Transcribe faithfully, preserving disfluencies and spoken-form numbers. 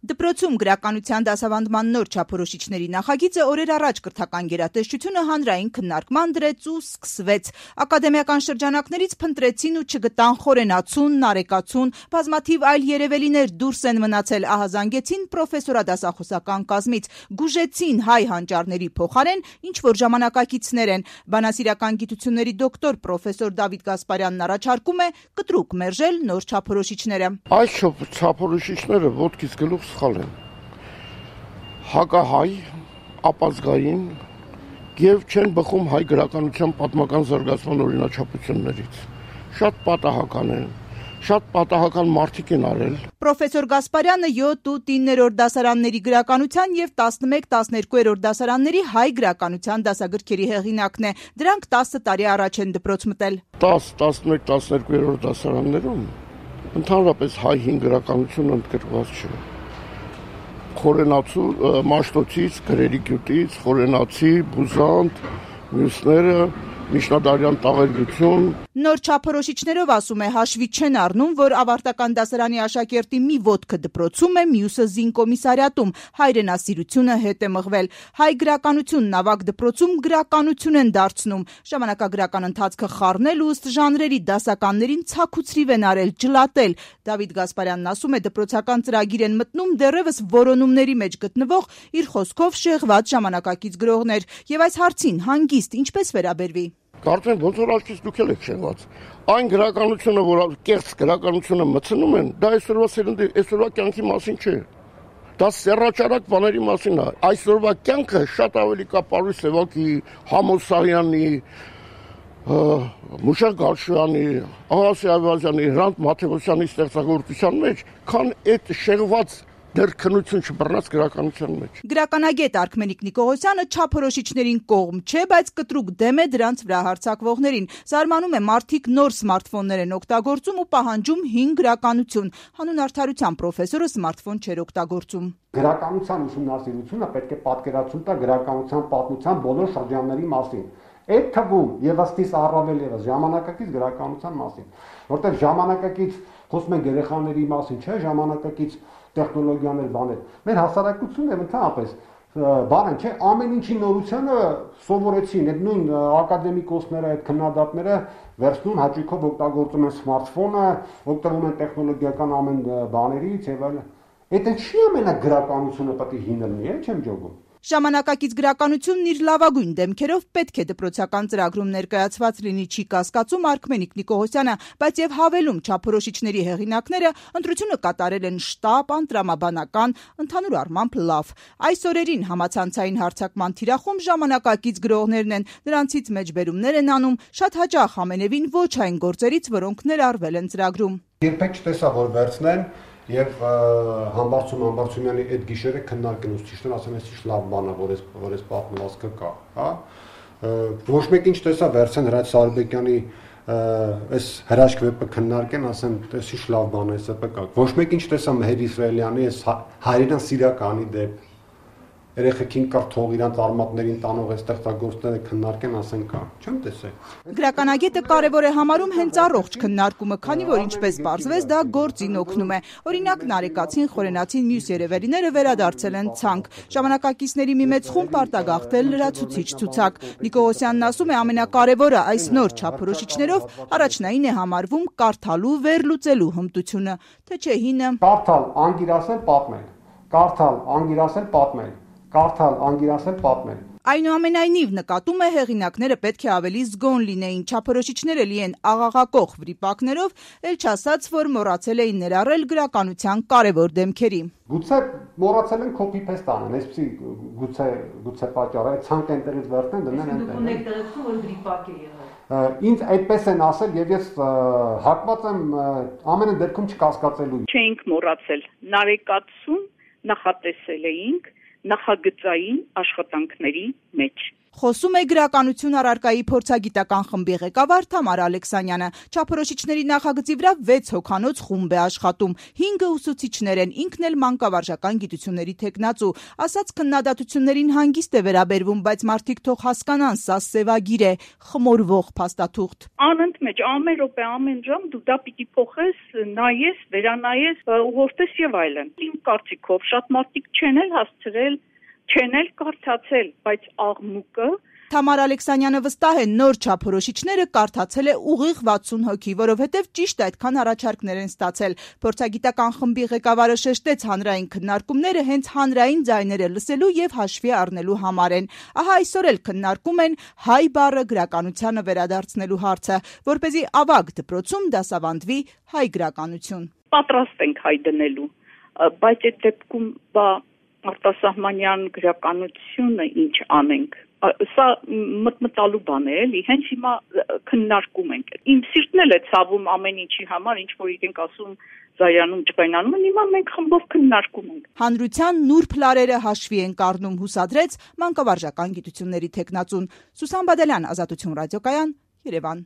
Դպրոցում գրականության դասավանդման նոր չափորոշիչների նախագիծը օրեր առաջ կրթական գերատեսչությունը հանրային քննարկման դրեց ու սկսվեց։ Ակադեմիական շրջանակներից փնտրեցին ու չգտան խորենացուն, նարեկացուն, բազմաթիվ այլ երևելիներ դուրս են մնացել, ահազանգեցին պրոֆեսորադասախոսական կազմից, գուժեցին հայ հանճարների փոխարեն ինչ որ ժամանակակիցներ են։ Բանասիրական գիտությունների դոկտոր պրոֆեսոր Դավիթ Գասպարյանն առաջարկում է կտրուկ մերժել նոր չափորոշիչները։ Այս չափորոշիչները ոտքից գլուխ սխալ են, հակահայ, ապազգային և չեն բխում հայ գրականության պատմական զարգացման օրինաչափություններից։ Շատ պատահական են, շատ պատահական մարդիկ են արել։ Պրոֆեսոր Գասպարյանը յոթ ու իններորդ դասարանների գրականության և տասնմեկ տասներկուերորդ դասարանների հայ գրականության դասագրքերի հեղինակն է։ Դրանք տասը տարի առաջ են դպրոց մտել։ տաս, տասնմեկ, տասներկուերորդ դասարաններում ընդհանրապես հայ հին գրականությունը ընդգրկված չէ։ Խորենացու Մաշտոցից, Գրերի գյուտից, Խորենացի, Բուզանդ, մյուսները, միջնադարյան տաղերգություն։ Նոր չափորոշիչներով, ասում է, հաշվի չեն առնում, որ ավարտական դասարանի աշակերտի մի ոտքը դպրոցում է, մյուսը զինկոմիսարիատում, հայրենասիրությունը հետ է մղվել։ Հայ գրականությունն ավագ դպրոցում գրականություն են դարձնում, ժամանակագրական ընթացքը խառնել ու ըստ ժանրերի դասականներին ցաքուցրիվ են արել, ջլատել։ Դավիթ Գասպարյանն ասում է, դպրոցական ծրագիր են մտնում դեռևս որոնումների մեջ գտնվող իր խոսքով շեղված ժամանակակից գրողներ, եւ այս հարցին հանգիստ ինչպես վերաբերվի։ Կարծեմ ոնց որ աչքից դուք եք շեղված։ Այն գրականությունը, որ կեղծ գրականությունը մտցնում են, դա այսօրվա սերնդի, այսօրվա կյանքի մասին չէ։ Դա սեռաճարակ բաների մասին է։ Այսօրվա կյանքը շատ ավելի կա Պարուս Սևակի, Համոսարյանի, Մուշակ Գալշյանի, Աղասի Այվազյանի, Հրանտ Մաթևոսյանի ստեղծագործության մեջ, քան այդ շեղված դեռ քնություն չբռնած գրականության մեջ։ Գրականագետ Արքմենիկ Նիկողոսյանը չափորոշիչներին կողմ չէ, բայց կտրուկ դեմ է դրանց վրա հարձակվողներին։ Զարմանում է, մարդիկ նոր սմարթֆոններ են օգտագործում ու պահանջում հին գրականություն։ Հանուն արդարության պրոֆեսորը սմարթֆոն չէր օգտագործում։ Գրականության ուսումնասիրությունը պետք է պատկերացում տա գրականության պատմության բոլոր շրջանների մասին։ Այդ թվում եւ ըստիս առավել եւս ժամանակակից գրականության մասին, որտեղ ժամանակակից խոսում են երեխաների մասին, չէ, ժամանակակից տեխնոլոգիաներ, բաներ։ Մեր հասարակությունն եւ ընդհանրապես բանը չէ, ամեն ինչի նորությանը սովորեցին, այդ նույն ակադեմիկոսները, այդ քննադատները վերցնում հաճույքով օգտագործում են սմարթֆոնը, օգտվում են տեխնոլոգիական ամեն բաներից եւ այլն։ Այդ չի ամենա գրականությունը պետք է հին լինի, չեմ ջոգում։ Ժամանակակից գրականությունն իր լավագույն դեմքերով պետք է դպրոցական ծրագրում ներկայացված լինի, չի կասկածում Արքմենիկ Նիկողոսյանը, բայց եւ հավելում չափորոշիչների հեղինակները ընտրությունը կատարել են շտապ, անտրամաբանական, ընդհանուր առմամբ լավ։ Այս օրերին համացանցային հարձակման թիրախում ժամանակակից գրողներն են, նրանցից մեջբերումներ են անում, շատ հաճախ ամենևին ոչ այն գործերից, որոնք ներառվել են ծրագրում։ Երբեք չտեսա, որ վերցնեն Եվ Համբարձում Համբարձումյանի այդ գիշերը քննարկեն ու ճիշտն ասեմ, այս լավ բան է, որ այս որ այս պատմվածքը կա, հա։ Ոչ մեկին չտեսա վերցեն Հրաչ Սարբեկյանի այս հրաշք վեպը քննարկեն, ասեն, այս ինչ լավ բան է, սա կա։ Ոչ մեկին չտեսա Մեհեր Իսրայելյանի այս հայրենասիրականի դեպ երեխեքին կրթող իրանց արմատներին տանող այս ստեղծագործները քննարկեն, ասեն կա, չեմ տեսել։ Գրականագետը կարևոր է համարում հենց առողջ քննարկումը, քանի որ ինչպես պարզվեց, դա գործին օգնում է։ Օրինակ, նարեկացին, խորենացին, մյուս երևելիները վերադարձել են ցանկ։ Ժամանակակիցների մի մեծ խումբ արտագաղթել լրացուցիչ ցուցակ։ Նիկողոսյանն ասում է, ամենակարևորը այս նոր չափորոշիչներով առաջնային է համարվում կարդալու վերլուծելու հմտությունը, թե չէ հինը։ Կարդալ, անգիրասել, պատմել։ Կարդալ, անգիրասել, պատմել։ Կարդալ, անգիրասել, պատմել։ Այնուամենայնիվ նկատում է հեղինակները պետք է ավելի զգոն լինեին, չափորոշիչները լի են աղաղակող վրիպակներով, էլ չասած, որ մոռացել էին ներառել գրականության կարևոր դեմքերի։ Գուցե մոռացել են copy-paste անեն, այսպեսի գուցե գուցե պատճառ է, ցանկ այնտեղից վերցնեն դնեն այնտեղ։ Դուք ունեք տեղեկություն, որ վրիպակ է եղել։ Ինձ այդպես են ասել եւ ես հակված եմ ամեն դեպքում չկասկածելու։ Չենք մոռացել, նարեկացուն նախատեսել էինք նախագծային աշխատանքների մեջ։ Խոսում է գրականություն առարկայի փորձագիտական խմբի ղեկավար Թամարա Ալեքսանյանը։ Չափորոշիչների նախագծի վրա վեց հոգանոց խումբ է աշխատում։ հինգը ուսուցիչներ են, ինքն էլ մանկավարժական գիտությունների թեկնածու։ Ասած քննադատություններին հանգիստ է վերաբերվում, բայց մարդիկ թող հասկանան, սա սևագիր է, խմորվող փաստաթուղթ։ Անընդմեջ ամեն րոպե, ամեն ժամ դու դա պիտի փոխես, նայես, վերանայես, ուղղորդես եւ այլն։ Իմ կարծիքով շատ մարդիկ չեն էլ հասցրել չեն էլ կարդացել, բայց աղմուկը Թամարա Ալեքսանյանը վստահ է նոր չափորոշիչները կարդացել է ուղիղ վաթսուն հոգի, որովհետև ճիշտ այդքան առաջարկներ են ստացել։ Փորձագիտական խմբի ղեկավարը շեշտեց հանրային քննարկումները հենց հանրային ձայները լսելու եւ հաշվի առնելու համար են։ Ահա այսօր էլ քննարկում են հայ բառը գրականությանը վերադարձնելու հարցը, որպեսզի ավագ դպրոցում դասավանդվի հայ գրականություն։ Պատրաստ ենք հայ դնելու, բայց այդ դեպքում բա արտասահմանյան գրականությունը ինչ անենք։ Սա մտմտալու բան է, էլի, հենց հիմա քննարկում ենք։ Իմ սիրտն էլ է ցավում ամեն ինչի համար, ինչ որ իրենք ասում զայրանում, ջղայնանում են, հիմա մենք խմբով քննարկում ենք։ Հանրության նուրբ լարերը հաշվի են կառնում, հուսադրեց մանկավարժական գիտությունների թեկնածուն։ Սուսան Բադալյան, Ազատություն ռադիոկայան, Երևան։